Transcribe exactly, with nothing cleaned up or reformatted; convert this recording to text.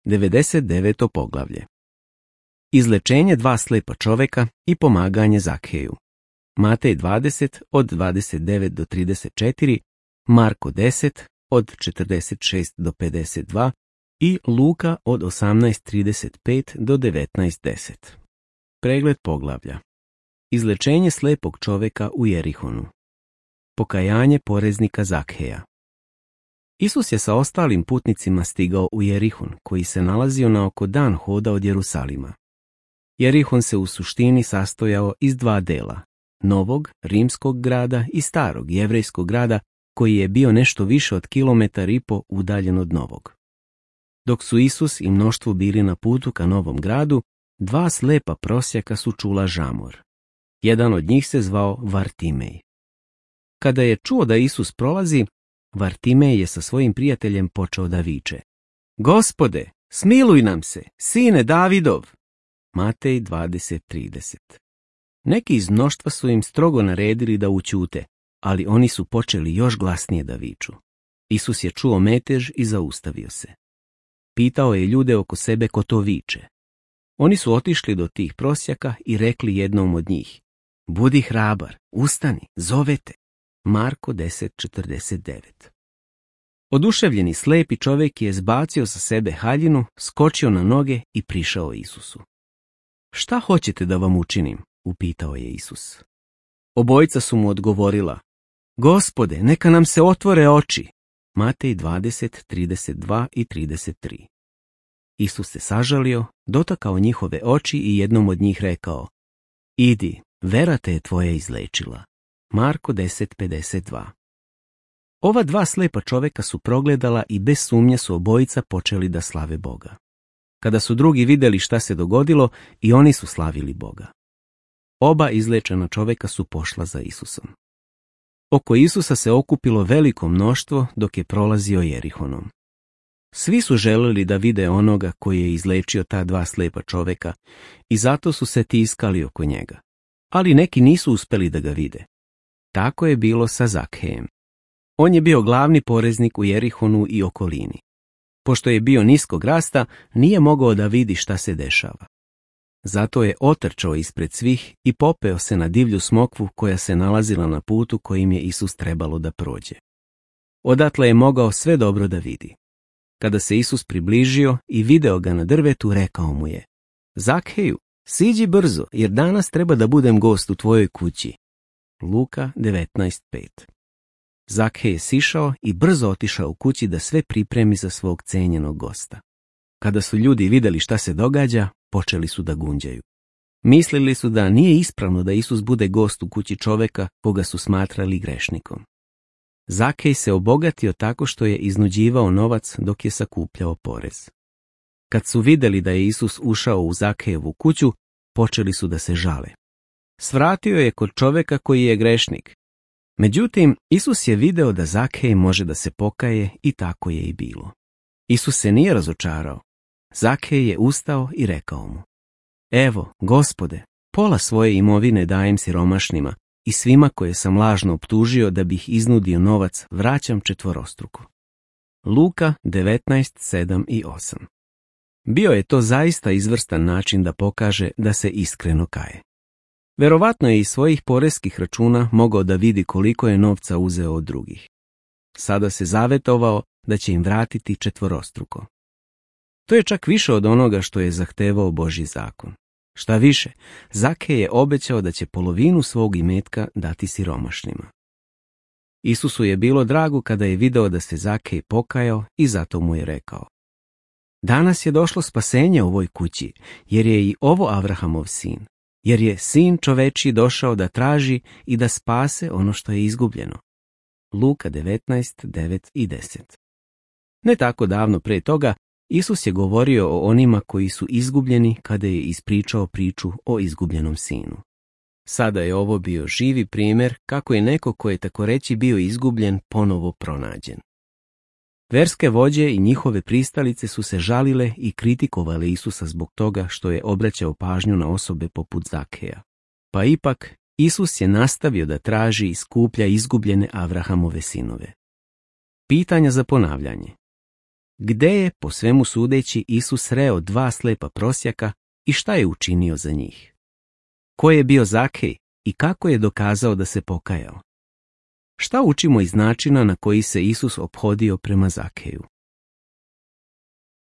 devedeset deveto poglavlje. Izlečenje dva slijepa čoveka i pomaganje Zakheju. Matej dvadeset od dvadeset devet do trideset četiri, Marko deset od četrdeset šest do pedeset dva i Luka od osamnaest trideset pet do devetnaest deset. Pregled poglavlja. Izlečenje slijepog čoveka u Jerihonu. Pokajanje poreznika Zakheja. Isus je sa ostalim putnicima stigao u Jerihon, koji se nalazio na oko dan hoda od Jerusalima. Jerihon se u suštini sastojao iz dva dela, novog rimskog grada i starog jevrejskog grada, koji je bio nešto više od kilometar i po udaljen od novog. Dok su Isus i mnoštvo bili na putu ka novom gradu, dva slepa prosjaka su čula žamor. Jedan od njih se zvao Vartimej. Kada je čuo da Isus prolazi, Vartimej je sa svojim prijateljem počeo da viče: Gospode, smiluj nam se, sine Davidov! Matej dvadeset trideset. Neki iz mnoštva su im strogo naredili da ućute, ali oni su počeli još glasnije da viču. Isus je čuo metež i zaustavio se. Pitao je ljude oko sebe ko to viče. Oni su otišli do tih prosjaka i rekli jednom od njih: Budi hrabar, ustani, zovete. Marko deset četrdeset devet. Oduševljeni slepi čovjek je zbacio sa sebe haljinu, skočio na noge i prišao Isusu. Šta hoćete da vam učinim? Upitao je Isus. Obojica su mu odgovorila: Gospode, neka nam se otvore oči. Matej dvadeset trideset dva i trideset tri. Isus se sažalio, dotakao njihove oči i jednom od njih rekao: Idi, vera te je tvoja izlečila. Marko deset pedeset dva. Ova dva slepa čoveka su progledala i bez sumnje su obojica počeli da slave Boga. Kada su drugi vidjeli šta se dogodilo, i oni su slavili Boga. Oba izlečena čoveka su pošla za Isusom. Oko Isusa se okupilo veliko mnoštvo dok je prolazio Jerihonom. Svi su želeli da vide onoga koji je izlečio ta dva slepa čoveka i zato su se tiskali oko njega. Ali neki nisu uspeli da ga vide. Tako je bilo sa Zakhejem. On je bio glavni poreznik u Jerihonu i okolini. Pošto je bio niskog rasta, nije mogao da vidi šta se dešava. Zato je otrčao ispred svih i popeo se na divlju smokvu koja se nalazila na putu kojim je Isus trebalo da prođe. Odatle je mogao sve dobro da vidi. Kada se Isus približio i video ga na drvetu, rekao mu je: Zakheju, siđi brzo, jer danas treba da budem gost u tvojoj kući. Luka devetnaest pet. Zakhej je sišao i brzo otišao u kući da sve pripremi za svog cenjenog gosta. Kada su ljudi vidjeli šta se događa, počeli su da gunđaju. Mislili su da nije ispravno da Isus bude gost u kući čoveka koga su smatrali grešnikom. Zakhej se obogatio tako što je iznuđivao novac dok je sakupljao porez. Kad su vidjeli da je Isus ušao u Zakhejevu kuću, počeli su da se žale. Svratio je kod čoveka koji je grešnik. Međutim, Isus je video da Zakhej može da se pokaje i tako je i bilo. Isus se nije razočarao. Zakhej je ustao i rekao mu: Evo, Gospode, pola svoje imovine dajem siromašnima i svima koje sam lažno optužio da bih iznudio novac vraćam četvorostruko. Luka devetnaest sedam i osam. Bio je to zaista izvrstan način da pokaže da se iskreno kaje. Verovatno je iz svojih poreskih računa mogao da vidi koliko je novca uzeo od drugih. Sada se zavetovao da će im vratiti četvorostruko. To je čak više od onoga što je zahtevao Božji zakon. Šta više, Zakhej je obećao da će polovinu svog imetka dati siromašnima. Isusu je bilo drago kada je video da se Zakhej pokajao i zato mu je rekao: Danas je došlo spasenje u ovoj kući, jer je i ovo Avrahamov sin, jer je sin čovečiji došao da traži i da spase ono što je izgubljeno. Luka devetnaest devet i deset. Ne tako davno pre toga, Isus je govorio o onima koji su izgubljeni kada je ispričao priču o izgubljenom sinu. Sada je ovo bio živi primjer kako je neko ko je tako reći bio izgubljen ponovo pronađen. Verske vođe i njihove pristalice su se žalile i kritikovale Isusa zbog toga što je obraćao pažnju na osobe poput Zakheja. Pa ipak, Isus je nastavio da traži i skuplja izgubljene Avrahamove sinove. Pitanja za ponavljanje. Gde je, po svemu sudeći, Isus sreo dva slepa prosjaka i šta je učinio za njih? Ko je bio Zakhej i kako je dokazao da se pokajao? Šta učimo iz načina na koji se Isus ophodio prema Zakheju?